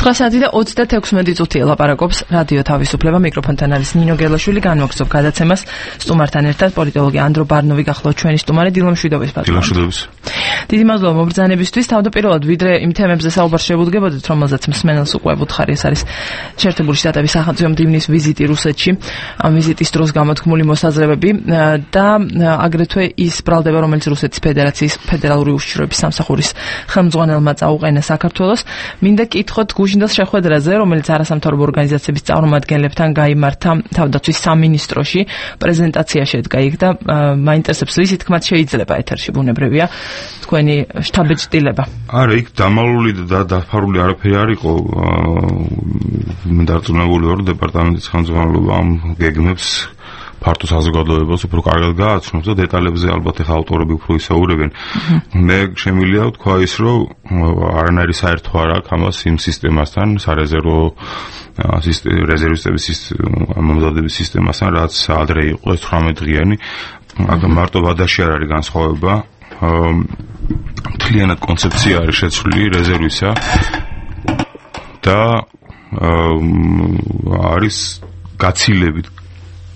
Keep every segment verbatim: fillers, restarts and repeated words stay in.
ოთხი საათი და ოცდათექვსმეტი წუთია ლაპარაკობს რადიო თავისუფლება, მიკროფონთან არის ნინო გელაშვილი, განვაგრძობ გადაცემას სტუმართან ერთად პოლიტოლოგი ანდრო ბარნოვი გახლავთ ჩვენი სტუმარი დილა მშვიდობის პატრონი. დიდი მადლობა მობრძანებისთვის. თავდაპირველად ვიდრე იმ თემებზე საუბარ შევუდგებოდით, რომელზეც მსმენელს უკვე ვუთხარი, ეს არის შეერთებული შტატების სახელმწიფო მდივნის ვიზიტი რუსეთში, ამ ვიზიტის დროს გამოთქმული მოსაზრებები და აგრეთვე ის ბრალდება, რომელიც რუსეთის ფედერაციის ფედერალური უშიშროების სამსახურის ხელმძღვანელმა წაუყენა საქართველოს. მინდა კითხოთ გუშინდელ შეხვედრაზე, რომელიც არასამთავრობო ორგანიზაციების წარმომადგენლებთან გაიმართა თავდაცვის სამინისტროში, პრეზენტაცია შედგა იქ და მაინტერესებს ისი თქმაც შეიძლება ეთერში ბუნებრივია თქვენი შთაბეჭდილება. არა, იქ დამალული და დაფარული არაფერი არ იყო. დარწმუნებული ვარ, დეპარტამენტის ხელმძღვანელობა ამ გეგმებს ფართო საზოგადოებას უფრო კარგად გააცნობს და დეტალებზე ალბათ ახლა ავტორები უფრო ისაუბრებენ. მე შემიძლია ვთქვა ის, რომ არანაირი საერთო არ აქვს ამას იმ სისტემასთან, სარეზერვო რეზერვისტების მომზადების სისტემასთან, რაც ადრე იყო ეს თვრამეტ დღიანი. აქ მარტო ვადაში არ არის განსხვავება. მთლიანად კონცეფცია არის შეცვლილი რეზერვისა და არის გაცილებით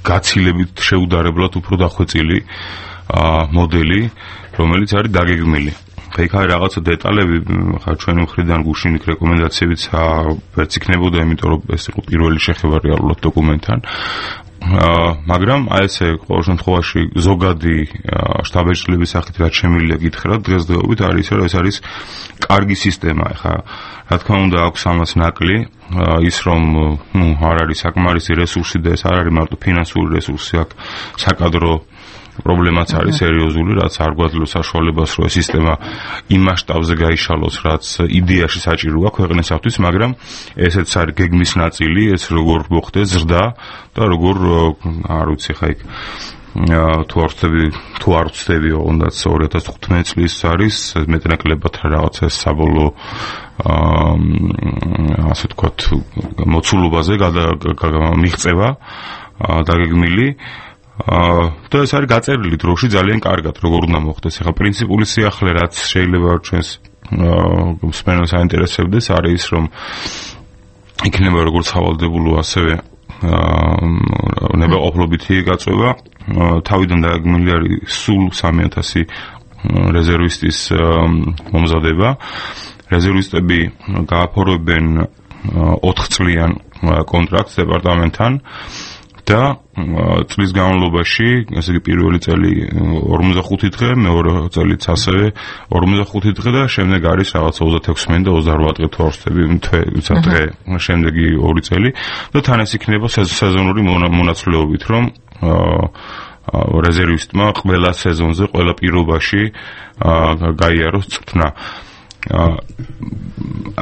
გაცილებით შეუდარებლად უფრო დახვეწილი მოდელი, რომელიც არის დაგეგმილი. იქ არის რაღაცა დეტალები, ხა ჩვენი მხრიდან გუშინ იქ რეკომენდაციებიც ვერც იქნებოდა, იმიტომ რომ ეს იყო პირველი შეხება რეალურად დოკუმენტთან. მაგრამ აი ესე ყოველ შემთხვევაში ზოგადი შტაბ-ეჭრილების სახით რაც შემიძლია გითხრათ დღესდღეობით არის რომ ეს არის კარგი სისტემა. ხა რა თქმა უნდა აქვს ამას ნაკლი ის რომ ნუ არ არის საკმარისი რესურსი და ეს არ არის მარტო ფინანსური რესურსი, აქ საკადრო პრობლემაც არის სერიოზული, რაც არ გვაძლევს საშუალებას რომ ეს სისტემა იმ მასშტაბზე გაიშალოს, რაც იდეაში საჭიროა ქვეყნისათვის, მაგრამ ესეც არის გეგმის ნაწილი, ეს როგორ მოხდეს ზრდა და როგორ არ ვიცი ხა იქ თუ არ ვწდები თუ არ ვწდებიო, უნდაც ორი ათას თხუთმეტი წლის არის მეტნაკლებად რაღაცა საბოლოო ასე ვთქვათ მოცულობაზე მიღწევა დაგეგმილი. და ეს არის გაწერილი დროში ძალიან კარგად, როგორ უნდა მოხდეს. ახლა პრინციპული სიახლე, რაც შეიძლება ჩვენს მსმენელს აინტერესებდეს, არის ის, რომ იქნება როგორც სავალდებულო, ასევე ნებაყოფლობითი გაწევა. თავიდან დაგეგმილი არის სულ სამი ათასი რეზერვისტის მომზადება. რეზერვისტები გააფორმებენ ოთხწლიან კონტრაქტს დეპარტამენტთან და წლის განმავლობაში, ესე იგი პირველი წელი ორმოცდახუთი დღე, მეორე წელიც ასევე ორმოცდახუთი დღე და შემდეგ არის რაღაცა ოცდათექვსმეტი და ოცდარვա დღე თუ არ ვწდები დღე, შემდეგი ორი წელი და თან ეს იქნება სეზონური მონაცვლეობით, რომ რეზერვისტმა ყველა სეზონზე, ყველა პირობაში გაიაროს წვრთნა.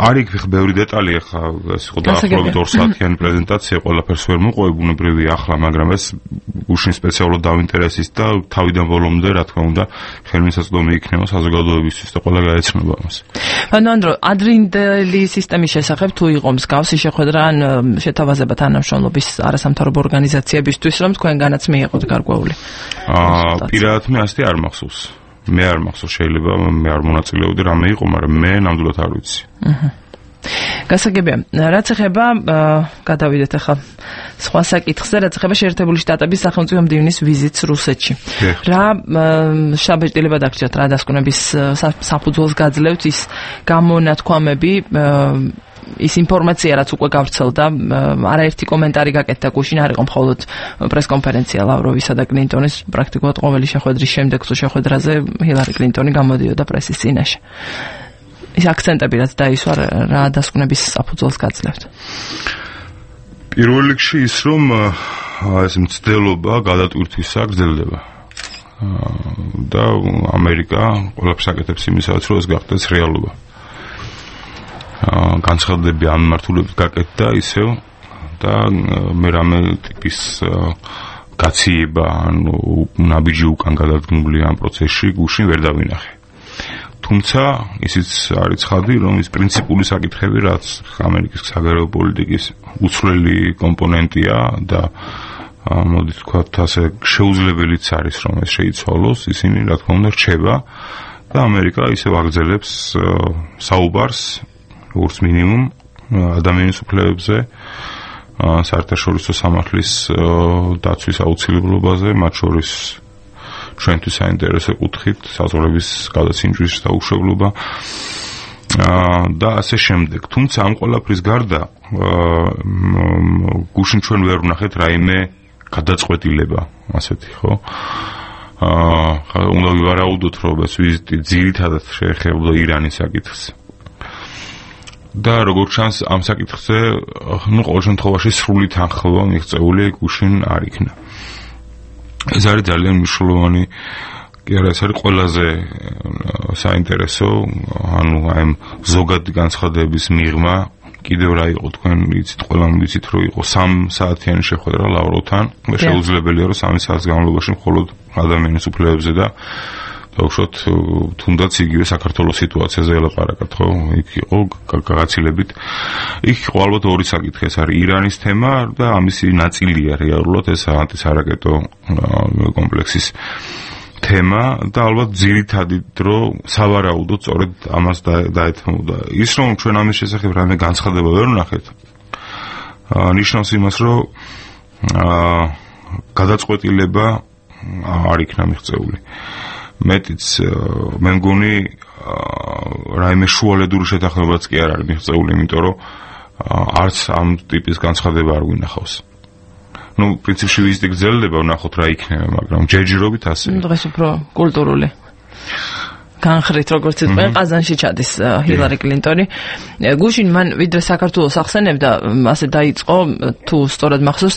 არის იქ ბევრი დეტალი, ახლა ეს იყო დაახლოებით ორ საათიანი პრეზენტაცია, ყველაფერს ვერ მოყვები ბუნებრივია ახლა, მაგრამ ეს გუშინ სპეციალურად დავინტერესის და თავიდან ბოლომდე, რა თქმა უნდა, ხელმისაწვდომი იქნება საზოგადოებისთვის და ყველა გაეცნობა ამას. ანუ ანდრო, ადრინდელი სისტემის შესახებ თუ იყო მსგავსი შეხვედრა ან შეთავაზება თანამშრომლობის არასამთავრობო ორგანიზაციებისთვის, რომ თქვენგანაც მიიღოთ გარკვეული? აა, პირადად მე ასეთი არ მახსოვს. მე არ მახსოვს, შეიძლება მე არ მონაწილეობდი რამე იყო, მაგრამ მე ნამდვილად არ ვიცი. აჰა. გასაგებია, რაც ეხება გადავიდეთ ახლა სხვა საკითხზე, რაც ეხება შეერთებული შტატების სახელმწიფო მდივნის ვიზიტს რუსეთში. რა შთაბეჭდილება დაგჭირთ, რა დასკვნების საფუძველს გაძლევთ ის გამონათქვამები, ის ინფორმაცია, რაც უკვე გავრცელდა, არაერთი კომენტარი გაკეთდა გუშინ, არ იყო მხოლოდ პრესკონფერენცია ლავროვისა და კლინტონის, პრაქტიკულად ყოველი შეხვედრის შემდეგ თუ შეხვედრაზე ჰილარი კლინტონი გამოდიოდა პრესის წინაშე. ის აქცენტები, რაც დაისვა, რა დასკვნების საფუძველს გაძლევთ? პირველ რიგში ის, რომ ეს მცდელობა გადატვირთვისა გრძელდება. და ამერიკა ყველაფერს აკეთებს იმისათვის, რომ ეს გახდეს რეალობა. განცხადები ამ მართულებით გაკეთდა ისევ და მე რამე ტიპის გაციება ანუ ნაბიჯი უკან გადადგმული ამ პროცესში გუშინ ვერ დავინახე. თუმცა ისიც არის ცხადი, რომ ის პრინციპული საკითხები, რაც ამერიკის საგარეო პოლიტიკის უცვლელი კომპონენტია და მოდით ვთქვათ ასე შეუძლებელიც არის, რომ ეს შეიცვალოს, ისინი რა თქმა უნდა რჩება და ამერიკა ისევ აგრძელებს საუბარს როგორც მინიმუმ ადამიანის უფლებებზე, საერთაშორისო სამართლის დაცვის აუცილებლობაზე, მათ შორის ჩვენთვის საინტერესო კუთხით, საზღვრების გადაცინჯვის დაუშვებლობა და ასე შემდეგ. თუმცა ამ ყველაფრის გარდა გუშინ ჩვენ ვერ ვნახეთ რაიმე გადაწყვეტილება, ასეთი, ხო? აა უნდა ვივარაუდოთ, რომ ეს ვიზიტი ძირითადად შეეხებოდა ირანის საკითხს. და როგორც ჩანს, ამ საკითხზე, ну, ყოველ შემთხვევაში სრული თანხმობა მიღწეული გუშინ არ იქნა. ეს არის ძალიან მნიშვნელოვანი, კი არა, ეს არის ყველაზე საინტერესო, ანუ აი ზოგადი განცხადების მიღმა, კიდევ რა იყო თქვენ იცით, ყველამ ვიცით, რომ იყო სამ საათიანი შეხვედრა ლავროვთან, და შეუძლებელია, რომ სამი საათის განმავლობაში მხოლოდ ადამიანის უფლებებზე და დაუშვათ თუნდაც იგივე საქართველოს სიტუაციაზე ელაპარაკათ, ხო? იქ იყო გაგაცილებით. იქ იყო ალბათ ორი საკითხი, ეს არის ირანის თემა და ამისი ნაწილია რეალურად ეს ანტისარაკეტო კომპლექსის თემა და ალბათ ძირითადი დრო სავარაუდოდ სწორედ ამას დაეთმოდა. ის რომ ჩვენ ამის შესახებ რამე განცხადება ვერ ვნახეთ, ნიშნავს იმას, რომ გადაწყვეტილება არ იქნა მიღწეული. მეტიც მე მგონი რაიმე შუალედური შეთანხმებაც კი არ არის მიღწეული, იმიტომ რომ არც ამ ტიპის განცხადება არ გვინახავს. ну, პრინციპში ვიზიტი გრძელდება, ვნახოთ რა იქნება, მაგრამ ჯერჯერობით ასე. დღეს უფრო კულტურული. განხრით, როგორც იტყვიან, ყაზანში ჩადის ჰილარი კლინტონი. გუშინ მან ვიდრე საქართველოს ახსენებდა, ასე დაიწყო, თუ სწორად მახსოვს,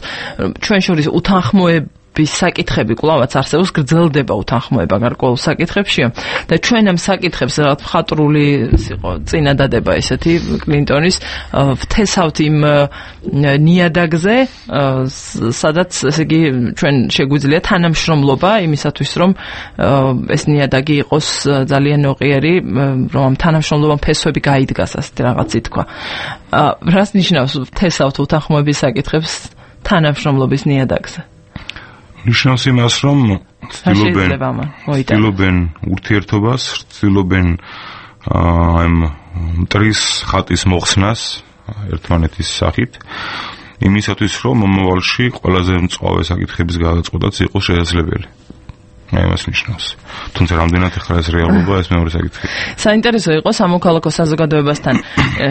ჩვენ შორის უთანხმოება საკითხები კვლავაც არსებობს, გრძელდება უთანხმოება გარკვეულ საკითხებშია და ჩვენ ამ საკითხებს რაღაც მხატვრული იყო წინადადება ესეთი კლინტონის ვთესავთ იმ ნიადაგზე, სადაც ესე იგი ჩვენ შეგვიძლია თანამშრომლობა იმისათვის, რომ ეს ნიადაგი იყოს ძალიან ნოყიერი, რომ ამ თანამშრომლობამ ფესვები გაიდგას, ასეთი რაღაც ითქვა. რას ნიშნავს ვთესავთ უთანხმოების საკითხებს თანამშრომლობის ნიადაგზე? ნიშნავს იმას, რომ ცდილობენ ცდილობენ ურთიერთობას, ცდილობენ აი მტრის ხატის მოხსნას ერთმანეთის სახით, იმისათვის, რომ მომავალში ყველაზე მწვავე საკითხების გადაწყვეტაც იყოს შესაძლებელი. აი მას ნიშნავს. თუმცა რამდენად ახლა ეს რეალობა, ეს მეორე საკითხი. საინტერესო იყო სამოქალაქო საზოგადოებასთან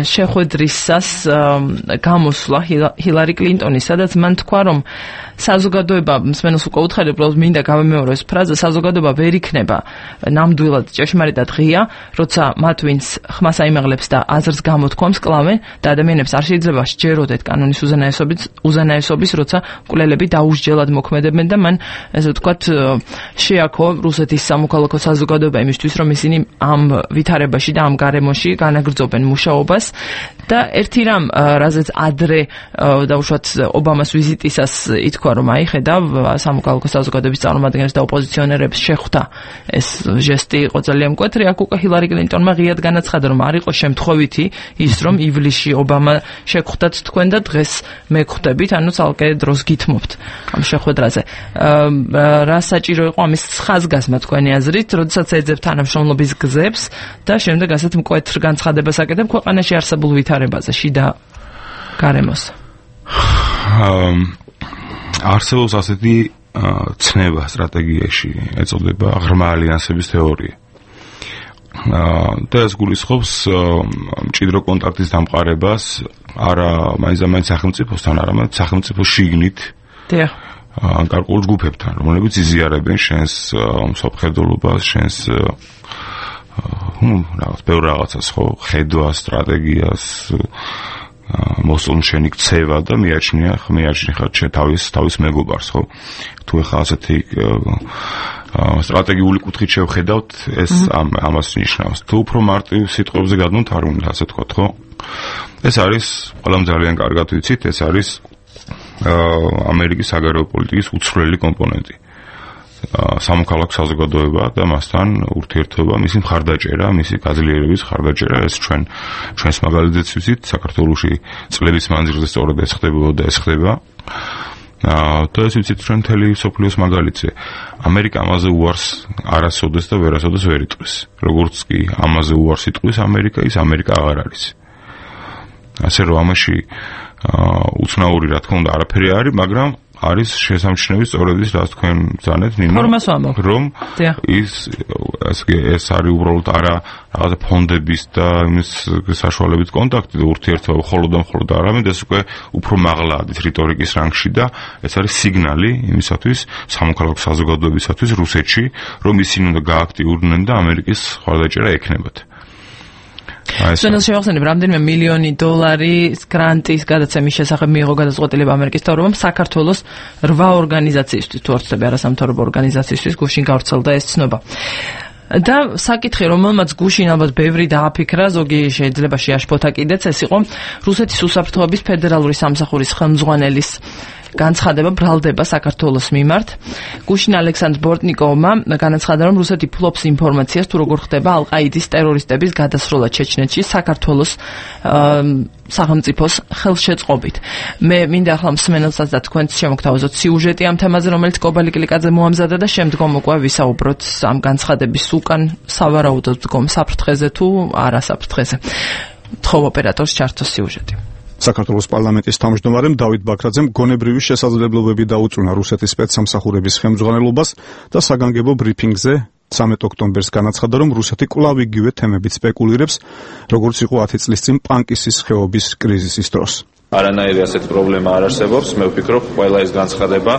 შეხვედრისას გამოსვლა ჰილარი კლინტონის, სადაც მან თქვა, რომ საზოგადოება, მსმენელს უკვე უთხარი, უბრალოდ მინდა გავემეორო ეს ფრაზა, საზოგადოება ვერ იქნება ნამდვილად ჭეშმარიტად ღია, როცა მათ ვინც ხმას აიმაღლებს და აზრს გამოთქვამს კლავენ და ადამიანებს არ შეიძლება სჯეროდეთ კანონის უზენაესობის, უზენაესობის, როცა მკვლელები დაუსჯელად მოქმედებენ და მან ესე ვთქვათ შეაქო რუსეთის სამოქალაქო საზოგადოება იმისთვის, რომ ისინი ამ ვითარებაში და ამ გარემოში განაგრძობენ მუშაობას და ერთი რამ, რაზეც ადრე დაუშვათ ობამას ვიზიტისას ითქვა, რომ აი ხედავ სამოქალაქო საზოგადოების წარმომადგენლებს და ოპოზიციონერებს შეხვდა ეს ჟესტი იყო ძალიან მკვეთრი. აქ უკვე ჰილარი კლინტონმა ღიად განაცხადა, რომ არ იყო შემთხვევითი ის, რომ ივლისში ობამა შეხვდათ თქვენ და დღეს მე ხვდებით, ანუ ცალკე დროს გითმობთ ამ შეხვედრაზე. რა საჭირო იყო ამის ხაზგასმა თქვენი აზრით, როდესაც ეძებთ თანამშრომლობის გზებს და შემდეგ ასეთ მკვეთრ განცხადებას აკეთებ ქვეყანაში არსებულ ვითარებაზე, შიდა გარემოს? არსებობს ასეთი ცნება სტრატეგიაში, ეწოდება ღრმა ალიანსების თეორია. და ეს გულისხმობს მჭიდრო კონტაქტის დამყარებას არა მაინც-მაინც სახელმწიფოსთან, არამედ სახელმწიფოს შიგნით. დიახ. ან გარკვეულ ჯგუფებთან, რომლებიც იზიარებენ შენს მსოფლმხედველობას, შენს ну, რაღაც ბევრ რაღაცას, ხო, ხედვას, სტრატეგიას, მოსწონს შენი ქცევა და მიაჩნია, მიაჩნია ხარ თავის თავის მეგობარს, ხო? თუ ეხლა ასეთი სტრატეგიული კუთხით შევხედავთ, ეს ამას ნიშნავს. თუ უფრო მარტივ სიტყვებზე გადმოთ, არ უნდა ასე თქვა, ხო? ეს არის, ყველამ ძალიან კარგად ვიცით, ეს არის ამერიკის საგარეო პოლიტიკის უცვლელი კომპონენტი. სამოქალაქო საზოგადოება და მასთან ურთიერთობა, მისი მხარდაჭერა, მისი გაძლიერების მხარდაჭერა, ეს ჩვენ ჩვენს მაგალითზეც ვიცით, საქართველოში წლების მანძილზე სწორედ ეს ხდებოდა და ეს ხდება. და ეს ვიცით ჩვენ მთელი მსოფლიოს მაგალითზე. ამერიკა ამაზე უარს არასოდეს და ვერასოდეს ვერ იტყვის. როგორც კი ამაზე უარს იტყვის ამერიკა, ის ამერიკა აღარ არის. ასე რომ ამაში უცნაური რა თქმა უნდა არაფერი არის, მაგრამ არის შესამჩნევი სწორედ ის, რაც თქვენ ბრძანეთ, ნინო, რომ ის ეს არის უბრალოდ არა რაღაცა ფონდების და იმის საშუალებით კონტაქტი და ურთიერთობა მხოლოდ და მხოლოდ არამედ ეს უკვე უფრო მაღლა არის რიტორიკის რანგში და ეს არის სიგნალი იმისათვის სამოქალაქო საზოგადოებისათვის რუსეთში, რომ ისინი უნდა გააქტიურდნენ და ამერიკის ხვალდაჭერა ექნებათ. Სვენელ შევახსენებ, რამდენიმე მილიონი დოლარის გრანტის გადაცემის შესახებ მიიღო გადაწყვეტილება ამერიკის მთავრობამ საქართველოს რვა ორგანიზაციისთვის, თუ არ ვცდები, არასამთავრობო ორგანიზაციისთვის გუშინ გავრცელდა ეს ცნობა. და საკითხი, რომელმაც გუშინ ალბათ ბევრი დააფიქრა, ზოგი შეიძლება შეაშფოთა კიდეც, ეს იყო რუსეთის უსაფრთხოების ფედერალური სამსახურის ხელმძღვანელის განცხადება ბრალდება საქართველოს მიმართ. გუშინ ალექსანდრ ბორტნიკოვმა განაცხადა, რომ რუსეთი ფლობს ინფორმაციას, თუ როგორ ხდება ალ-ყაიდის ტერორისტების გადასროლა ჩეჩნეთში საქართველოს სახელმწიფოს ხელშეწყობით. მე მინდა ახლა მსმენელსაც და თქვენც შემოგთავაზოთ სიუჟეტი ამ თემაზე, რომელიც კობალი კლიკაძე მოამზადა და შემდგომ უკვე ვისაუბროთ ამ განცხადების უკან სავარაუდოდ დგომ საფრთხეზე თუ არა საფრთხეზე. თხოვ ოპერატორს ჩართოს სიუჟეტი. საქართველოს პარლამენტის თავმჯდომარემ დავით ბაქრაძემ გონებრივი შესაძლებლობები დაუწუნა რუსეთის სპეცსამსახურების ხელმძღვანელობას და საგანგებო ბრიფინგზე ცამეტ ოქტომბერს განაცხადა, რომ რუსეთი კვლავ იგივე თემებით სპეკულირებს, როგორც იყო ათი წლის წინ პანკისის ხეობის კრიზისის დროს. არანაირი ასეთი პრობლემა არ არსებობს. მე ვფიქრობ, ყველა ეს განცხადება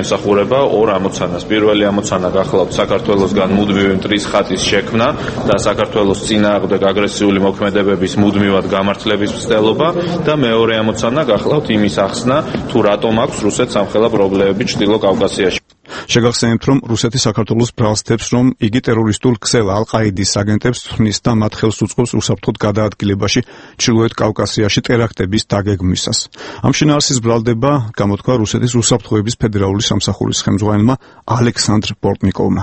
ემსახურება ორ ამოცანას. პირველი ამოცანა გახლავთ საქართველოსგან მუდმივი მტრის ხატის შექმნა და საქართველოს წინააღმდეგ აგრესიული მოქმედებების მუდმივად გამართლების მცდელობა და მეორე ამოცანა გახლავთ იმის ახსნა, თუ რატომ აქვს რუსეთს ამხელა პრობლემები ჩრდილო კავკასიაში. შეგახსენებთ, რომ რუსეთი საქართველოს ბრალს თებს, რომ იგი ტერორისტულ ქსელ ალ-ყაიდის აგენტებს თვნის და მათ ხელს უწყობს უსაფრთხოდ გადაადგილებაში ჩრდილოეთ კავკასიაში ტერაქტების დაგეგმვისას. ამ შინაარსის ბრალდება გამოთქვა რუსეთის უსაფრთხოების ფედერალური სამსახურის ხელმძღვანელმა ალექსანდრ ბორტნიკოვმა.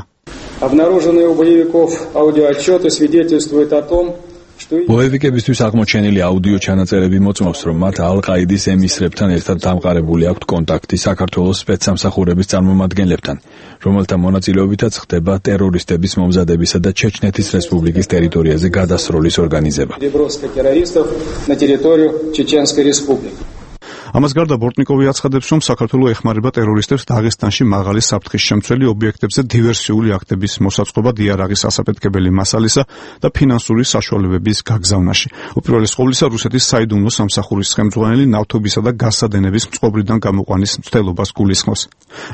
Обнаруженные у боевиков аудиоотчеты свидетельствуют о том, ბოევიკებისთვის აღმოჩენილი აუდიო ჩანაწერები მოწმობს, რომ მათ ალ-ყაიდის ემისრებთან ერთად დამყარებული აქვთ კონტაქტი საქართველოს სპეცსამსახურების წარმომადგენლებთან, რომელთა მონაწილეობითაც ხდება ტერორისტების მომზადებისა და ჩეჩნეთის რესპუბლიკის ტერიტორიაზე გადასროლის ორგანიზება. ამას გარდა ბორტნიკოვი აცხადებს, რომ საქართველო ეხმარება ტერორისტებს დაღესტანში მაღალი საფრთხის შემცველი ობიექტებზე დივერსიული აქტების მოსაწყობად იარაღის ასაფეთქებელი მასალისა და ფინანსური საშუალებების გაგზავნაში. უპირველეს ყოვლისა რუსეთის საიდუმლო სამსახურის ხელმძღვანელი ნავთობისა და გაზსადენების მწყობრიდან გამოყვანის მცდელობას გულისხმობს.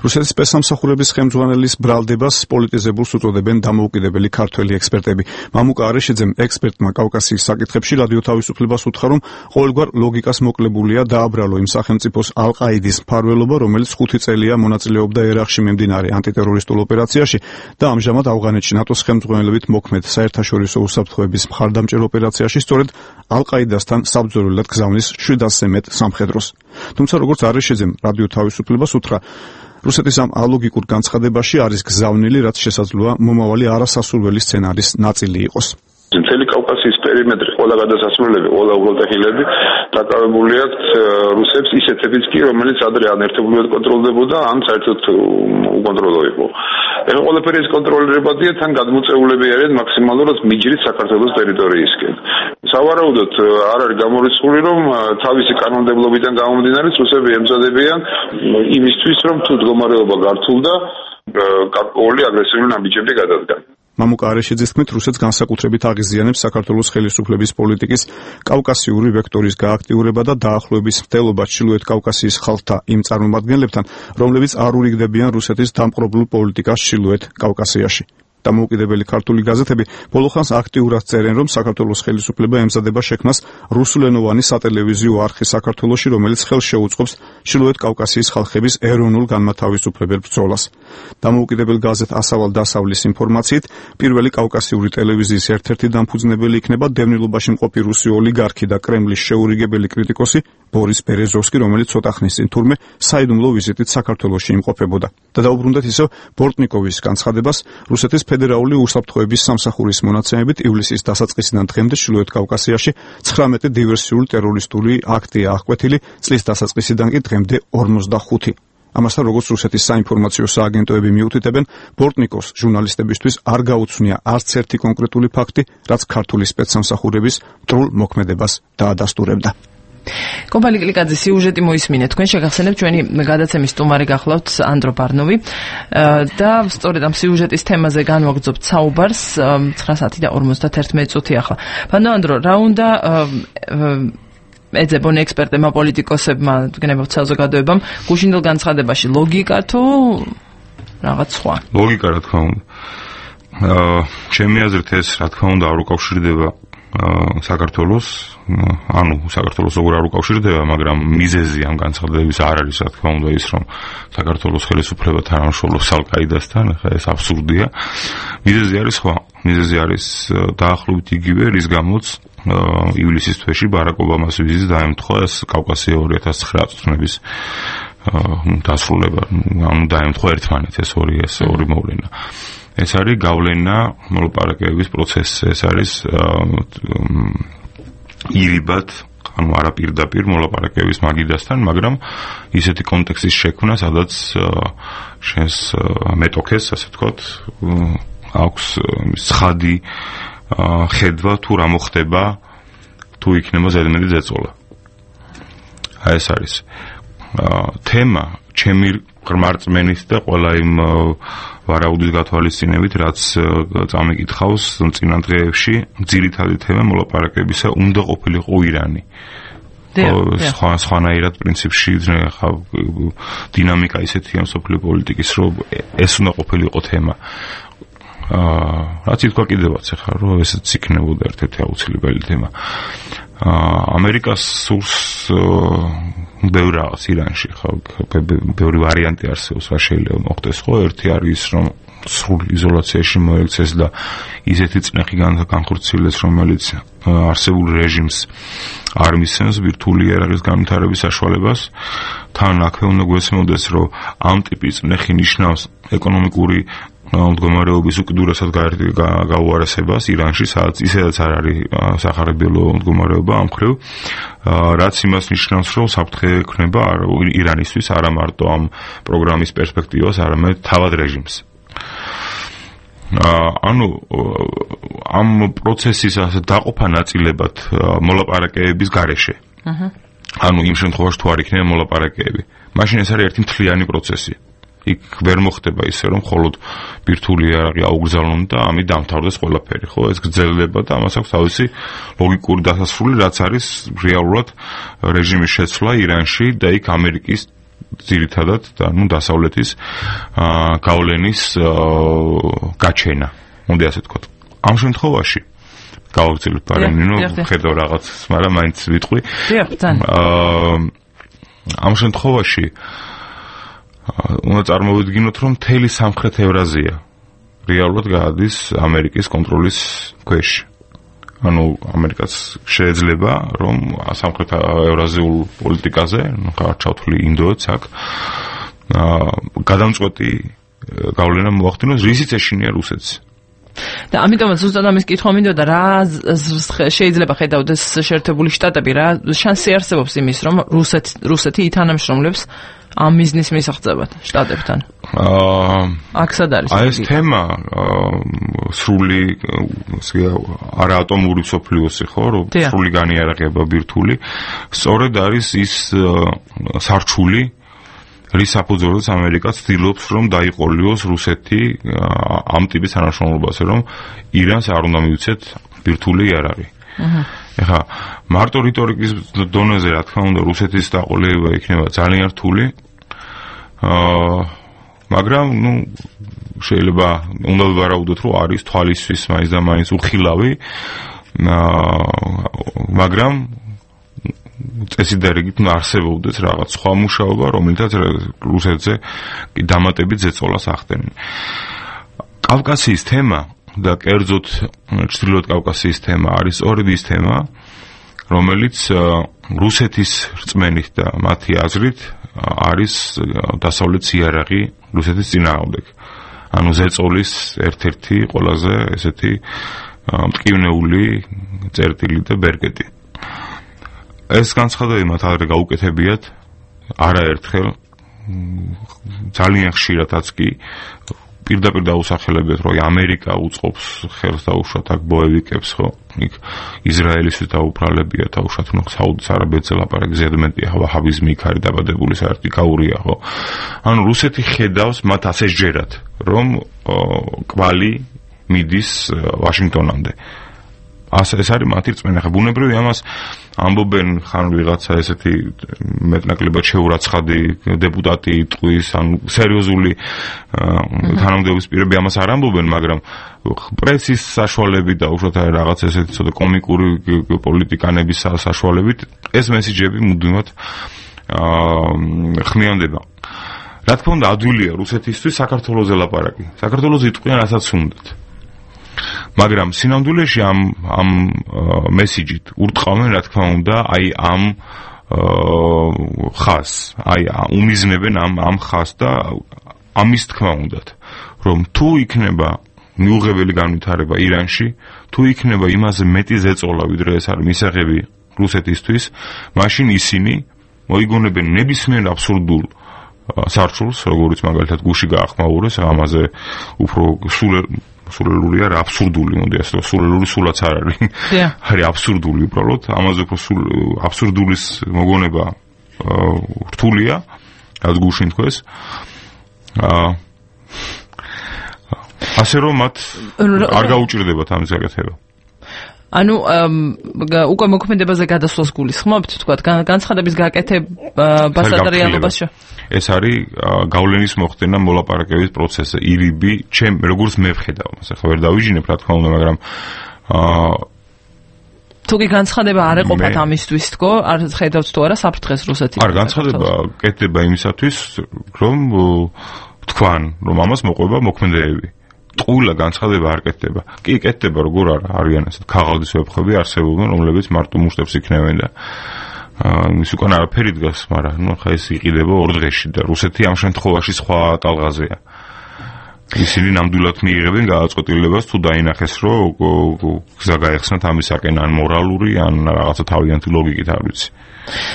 რუსეთის სპეცსამსახურების ხელმძღვანელის ბრალდებას პოლიტიზებულს უწოდებენ დამოუკიდებელი ქართველი ექსპერტები. მამუკა არეშიძემ ექსპერტმა კავკასიის საკითხებში რადიო თავისუფლებას უთხრა, რომ ყოველგვარ ლოგიკას მოკლებულია დააბრალო იმ სახელმწიფოს ალ-ყაიდის მფარველობა, რომელიც ხუთი წელია მონაწილეობდა ერაყში მიმდინარე ანტიტერორისტულ ოპერაციაში და ამჟამად ავღანეთში ნატოს ხელმძღვანელობით მოქმედ საერთაშორისო უსაფრთხოების მხარდამჭერ ოპერაციაში სწორედ ალ-ყაიდასთან საბრძოლველად გზავნის შვიდასზე მეტ სამხედროს. თუმცა როგორც არეშიძემ რადიო თავისუფლებას უთხრა, რუსეთის ამ ალოგიკურ განცხადებაში არის გზავნილი, რაც შესაძლოა მომავალი არასასურველი სცენარის ნაწილი იყოს. მთელი კავკასიის პერიმეტრი, ყველა გადასასვლელები, ყველა უღელტეხილები დაკავებული აქვთ რუსებს ისეთებიც კი, რომელიც ადრე ან ერთობლივად კონტროლდებოდა, ან საერთოდ უკონტროლო იყო. ეხლა ყველაფერი ეს კონტროლირებადია, თან გადმოწეულები არიან მაქსიმალურად მიჯრით საქართველოს ტერიტორიისკენ. სავარაუდოდ არ არის გამორიცხული, რომ თავისი კანონმდებლობიდან გამომდინარე რუსები ემზადებიან იმისთვის, რომ თუ მდგომარეობა გართულდა, გარკვეული აგრესიული ნაბიჯები გადადგან. მამუკა არეშიძის თქმით, რუსეთს განსაკუთრებით აღიზიანებს საქართველოს ხელისუფლების პოლიტიკის კავკასიური ვექტორის გააქტიურება და დაახლოების მცდელობა ჩრდილოეთ კავკასიის ხალხთა იმ წარმომადგენლებთან, რომლებიც არ ურიგდებიან რუსეთის დამპყრობლურ პოლიტიკას ჩრდილოეთ კავკასიაში. დამოუკიდებელი ქართული გაზეთები ბოლო ხანს აქტიურად წერენ, რომ საქართველოს ხელისუფლება ემზადება შექმნას რუსულენოვანი სატელევიზიო არხი საქართველოში, რომელიც ხელს შეუწყობს ჩრდილოეთ კავკასიის ხალხების ეროვნულ განმათავისუფლებელ ბრძოლას. დამოუკიდებელ გაზეთ ასავალ დასავლის ინფორმაციით, პირველი კავკასიური ტელევიზიის ერთ-ერთი დამფუძნებელი იქნება დევნილობაში მყოფი რუსი ოლიგარქი და კრემლის შეურიგებელი კრიტიკოსი ბორის ბერეზოვსკი, რომელიც ცოტა ხნის წინ თურმე საიდუმლო ვიზიტით საქართველოში იმყოფებოდა. და დაუბრუნდეთ ისევ ბორტნიკოვის განცხადებას, რუსეთის ფედერალური უსაფრთხოების სამსახურის მონაცემებით ივლისის დასაწყისიდან დღემდე ჩრდილოეთ კავკასიაში ცხრამეტი დივერსიული ტერორისტული აქტია აღკვეთილი, წლის დასაწყისიდან კი დღემდე ორმოცდახუთი. ამასთან, როგორც რუსეთის საინფორმაციო სააგენტოები მიუთითებენ, ბორტნიკოვს ჟურნალისტებისთვის არ გაუცნია არც ერთი კონკრეტული ფაქტი, რაც ქართული სპეცსამსახურების მტრულ მოქმედებას დაადასტურებდა. კობალი კლიკაძე სიუჟეტი მოისმინეთ. თქვენ შეგახსენებთ ჩვენი გადაცემის სტუმარი გახლავთ ანდრო ბარნოვი და სწორედ ამ სიუჟეტის თემაზე განვაგრძობთ საუბარს ცხრა საათი და ორმოცდაერთმეტი წუთი ახლა. ბანო ანდრო, რა უნდა ეძებონ ექსპერტებმა, პოლიტიკოსებმა, გნებავთ საზოგადოებამ გუშინდელ განცხადებაში ლოგიკა თუ რაღაც სხვა? ლოგიკა, რა თქმა უნდა. აა ჩემი აზრით ეს რა თქმა უნდა არ უკავშირდება საქართველოს, ანუ საქართველოს როგორ არ უკავშირდება, მაგრამ მიზეზი ამ განცხადებების არ არის, რა თქმა უნდა, ის რომ საქართველოს ხელისუფლება თანამშრომლობს ალ-ყაიდასთან, ხა ეს აბსურდია. მიზეზი არის სხვა. მიზეზი არის დაახლოებით იგივე, რის გამოც ივლისის თვეში ბარაკ ობამას ვიზიტს დაემთხვა ეს კავკასია ორი ათას ცხრა წლების დასრულება, ანუ დაემთხვა ერთმანეთს ეს ორი ეს ორი მოვლენა. ეს არის გავლენა მოლაპარაკებების პროცესზე, ეს არის ირიბად, ანუ არა პირდაპირ მოლაპარაკებების მაგიდასთან, მაგრამ ისეთი კონტექსტის შექმნა, სადაც შენს მეტოქეს, ასე ვთქვათ, აქვს ცხადი ხედვა თუ რა მოხდება, თუ იქნება ზედმეტი ზეწოლა. აი ეს არის თემა, ჩემი ღრმარწმენის და ყველა იმ ვარაუდის გათვალისწინებით, რაც წამიკითხავს წინა დღეებში, ძირითადი თემა მოლაპარაკებისა უნდა ყოფილიყო ირანი. სხვა სხვანაირად პრინციპში ხა დინამიკა ისეთია მსოფლიო პოლიტიკის, რომ ეს უნდა ყოფილიყო თემა. აა რაც ითქვა კიდევაც ახლა, რომ ესეც იქნებოდა ერთ-ერთი აუცილებელი თემა. აა ამერიკას სურს ბევრი რაღაც ირანში, ხო, ბევრი ვარიანტი არსებობს, რა შეიძლება მოხდეს, ხო, ერთი არის რომ სრულ იზოლაციაში მოექცეს და ისეთი წნეხი განხორციელდეს, რომელიც არსებულ რეჟიმს არ მისცემს ბირთვული იარაღის განვითარების საშუალებას. თან აქვე უნდა გვესმოდეს, რომ ამ ტიპის წნეხი ნიშნავს ეკონომიკური მდგომარეობის უკიდურესად გაუარესებას ირანში, სადაც ისედაც არ არის სახარებელო მდგომარეობა ამ მხრივ, რაც იმას ნიშნავს, რომ საფრთხე ექნება ირანისთვის არა მარტო ამ პროგრამის პერსპექტივას, არამედ თავად რეჟიმს. ანუ ამ პროცესის ასე დაყოფა ნაწილებად მოლაპარაკებების გარეშე. ანუ იმ შემთხვევაში თუ არ იქნება მოლაპარაკებები, მაშინ ეს არის ერთი მთლიანი პროცესი. იქ ვერ მოხდება ისე, რომ მხოლოდ ბირთვული იარაღი აუგზავნონ და ამით დამთავრდეს ყველაფერი, ხო? ეს გრძელდება და ამას აქვს თავისი ლოგიკური დასასრული, რაც არის რეალურად რეჟიმის შეცვლა ირანში და იქ ამერიკის ძირითადად და ნუ დასავლეთის გავლენის გაჩენა, მოდი ასე ვთქვათ. ამ შემთხვევაში გავაგრძელებთ პარენინო, ხედავ რაღაც, მაგრამ მაინც ვიტყვი. დიახ, ძალიან. ამ შემთხვევაში უნდა წარმოვიდგინოთ, რომ მთელი სამხრეთ ევრაზია რეალურად გადის ამერიკის კონტროლის ქვეშ. ანუ ამერიკაც შეიძლება, რომ სამხრეთ ევრაზიულ პოლიტიკაზე, ну, ჩავთვლი ინდოეთს აქ, გადამწყვეტი გავლენა მოახდინოს, რისიც ეშინია რუსეთს. და ამიტომაც ზუსტად ამის კითხვა მინდოდა, რა შეიძლება ხედავდეს შეერთებული შტატები, რა შანსი არსებობს იმის, რომ რუსეთი რუსეთი ითანამშრომლებს ამ მიზნის მისაღწევად შტატებთან. აა აქ სად არის? აი ეს თემა სრული არაატომური მსოფლიოსი, ხო, რომ სრული განიარაღება ბირთვული, სწორედ არის ის სარჩული, რის საფუძველზეც ამერიკა ცდილობს, რომ დაიყოლიოს რუსეთი ამ ტიპის თანამშრომლობაზე, რომ ირანს არ უნდა მიუცეთ ბირთვული იარაღი. ეხლა მარტო რიტორიკის დონეზე, რა თქმა უნდა, რუსეთის დაყოლება იქნება ძალიან რთული. აა მაგრამ, ну, შეიძლება უნდა ვივარაუდოთ, რომ არის თვალისთვის მაინც და მაინც უხილავი. აა მაგრამ წესი და რიგით არსებობდეს რაღაც სხვა მუშაობა, რომელთაც რუსეთზე დამატებით ზეწოლას ახდენენ. კავკასიის თემა და კერძოდ ჩრდილოეთ კავკასიის თემა არის სწორედ ის თემა, რომელიც რუსეთის რწმენით და მათი აზრით არის დასავლეთის იარაღი რუსეთის წინააღმდეგ. ანუ ზეწოლის ერთ-ერთი ყველაზე ესეთი მტკივნეული წერტილი და ბერკეტი. ეს განცხადებები მათ ადრე გაუკეთებიათ არაერთხელ, ძალიან ხშირადაც კი პირდაპირ დაუსახელებიათ, რომ ამერიკა უწყობს ხელს დაუშვათ აქ ბოევიკებს, ხო? იქ ისრაელისთვის დაუფრალებია, დაუშვათ, ნუ საუდის არაბეთზე ლაპარაკი ზედმეტია, ვაჰაბიზმი იქ არის დაბადებული, საერთოდ კაურია, ხო? ანუ რუსეთი ხედავს მათ ასე სჯერათ, რომ კვალი მიდის ვაშინგტონამდე. ასე ეს არის მათი რწმენა. ხა ბუნებრივია ამას ამბობენ ხან ვიღაცა ესეთი მეტნაკლებად შეურაცხადი დეპუტატი ტყვის, ან სერიოზული თანამდებობის პირები ამას არ ამბობენ, მაგრამ პრესის საშუალებით და უშუალოდ რაღაც ესეთი ცოტა კომიკური პოლიტიკანების საშუალებით ეს მესიჯები მუდმივად ხმიანდება. რა თქმა უნდა, ადვილია რუსეთისთვის საქართველოზე ლაპარაკი. საქართველოზე იტყვიან რასაც უნდათ. მაგრამ სინამდვილეში ამ ამ მესიჯით ურტყავენ, რა თქმა უნდა, აი ამ ხას, აი უმიზნებენ ამ ამ ხას და ამის თქმა უნდათ, რომ თუ იქნება მიუღებელი განვითარება ირანში, თუ იქნება იმაზე მეტი ზეწოლა, ვიდრე ეს არის მისაღები რუსეთისთვის, მაშინ ისინი მოიგონებენ ნებისმიერ აბსურდულ სარჩულს, როგორც მაგალითად გუში გაახმაურეს, ამაზე უფრო სულ სულელური არა აბსურდული, მოდი ასე ვთქვა, სულელური სულაც არ არის. არის აბსურდული უბრალოდ, ამაზე უფრო სულ აბსურდულის მოგონება რთულია, რაც გუშინ თქვეს. აა ასე რომ მათ არ გაუჭირდებათ ამის გაკეთება. ანუ უკვე მოქმედებაზე გადასვლას გულისხმობთ, თქვა, განცხადების გაკეთებასა და რეალობაში. ეს არის გავლენის მოხდენა მოლაპარაკების პროცესზე. ირიბი, ჩემ როგორც მე ვხედავ, ახლა ვერ დავიჯინებ, რა თქმა უნდა, მაგრამ აა თუ კი განცხადება არ ეყოფათ ამისთვის, თქო, არ ხედავთ თუ არა საფრთხეს რუსეთის. არ განცხადება კეთდება იმისათვის, რომ თქვან, რომ ამას მოყვება მოქმედებები. ტყუილა განცხადება არ კეთდება. კი, კეთდება, როგორ არა, არიან ასეთ ქაღალდის ვებხვები არსებობენ, რომლებიც მარტო მუშტებს იქნევენ და ის უკან არაფერი დგას, მაგრამ ნუ ხა ეს იყიდება ორ დღეში და რუსეთი ამ შემთხვევაში სხვა ტალღაზეა. ისინი ნამდვილად მიიღებენ გადაწყვეტილებას თუ დაინახეს, რომ გზა გაეხსნათ ამისაკენ, ან მორალური, ან რაღაცა თავიანთი ლოგიკით არ ვიცი.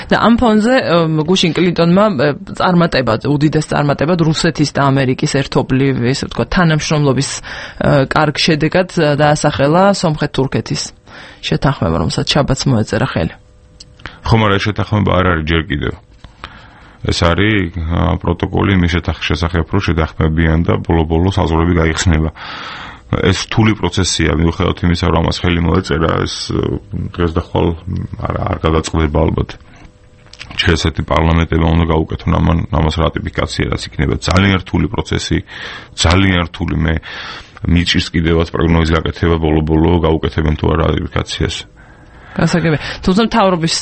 და ამ ფონზე გუშინ კლინტონმა წარმატება, უდიდეს წარმატებად რუსეთის და ამერიკის ერთობლივ, ესე ვთქვა, თანამშრომლობის კარგ შედეგად დაასახელა სომხეთ-თურქეთის შეთანხმება, რომელსაც შაბათს მოეწერა ხელი. ხომ არა, შეთანხმება არ არის ჯერ კიდევ. ეს არის პროტოკოლი იმის შესახებ, რომ შეთანხმებიან და ბოლო-ბოლოს აზრები გაიხსნება. ეს რთული პროცესია, მიუხედავად იმისა, რომ ამას ხელი მოეწერა, ეს დღეს და ხვალ არ არ გადაწყდება ალბათ. ჩესეთი პარლამენტებმა უნდა გაუკეთონ ამას რატიფიკაცია, რაც იქნება ძალიან რთული პროცესი, ძალიან რთული. მე მიჭირს კიდევაც პროგნოზის გაკეთება ბოლო-ბოლო გაუკეთებენ თუ არა რატიფიკაციას. გასაგებია. თუმცა მთავრობის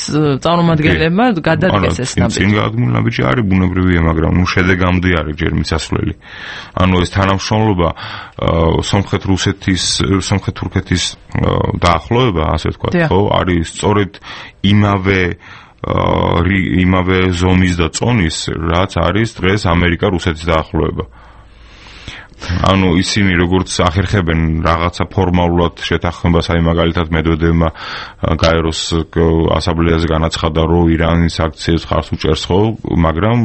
წარმომადგენლებმა გადადგეს ეს ნაბიჯი. წინ გადადგმული ნაბიჯი არის ბუნებრივია, მაგრამ ნუ შედეგამდე არის ჯერ მისასვლელი. ანუ ეს თანამშრომლობა სომხეთ-რუსეთის, სომხეთ-თურქეთის დაახლოება, ასე ვთქვათ, ხო, არის სწორედ იმავე იმავე ზომის და წონის, რაც არის დღეს ამერიკა-რუსეთის დაახლოება. ანუ ისინი როგორც ახერხებენ რაღაცა ფორმალურად შეთანხმებას, აი მაგალითად მედვედევმა გაეროს ასამბლეაზე განაცხადა, რომ ირანის აქციებს ხარს უჭერს, ხო, მაგრამ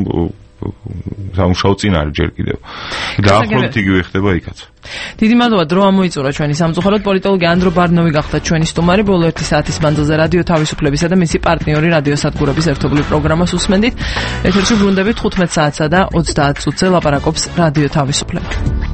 სამუშაო წინ არის ჯერ კიდევ. დაახლოებით იგივე ხდება იქაც. დიდი მადლობა, დრო ამოიწურა ჩვენი სამწუხაროდ. პოლიტოლოგი ანდრო ბარნოვი გახდა ჩვენი სტუმარი. ბოლო ერთი საათის მანძილზე რადიო თავისუფლებისა და მისი პარტნიორი რადიო სადგურების ერთობლივ პროგრამას უსმენდით. ეთერში ბრუნდებით თხუთმეტ საათსა და ოცდაათ წუთზე ლაპარაკობს რადიო თავისუფლება.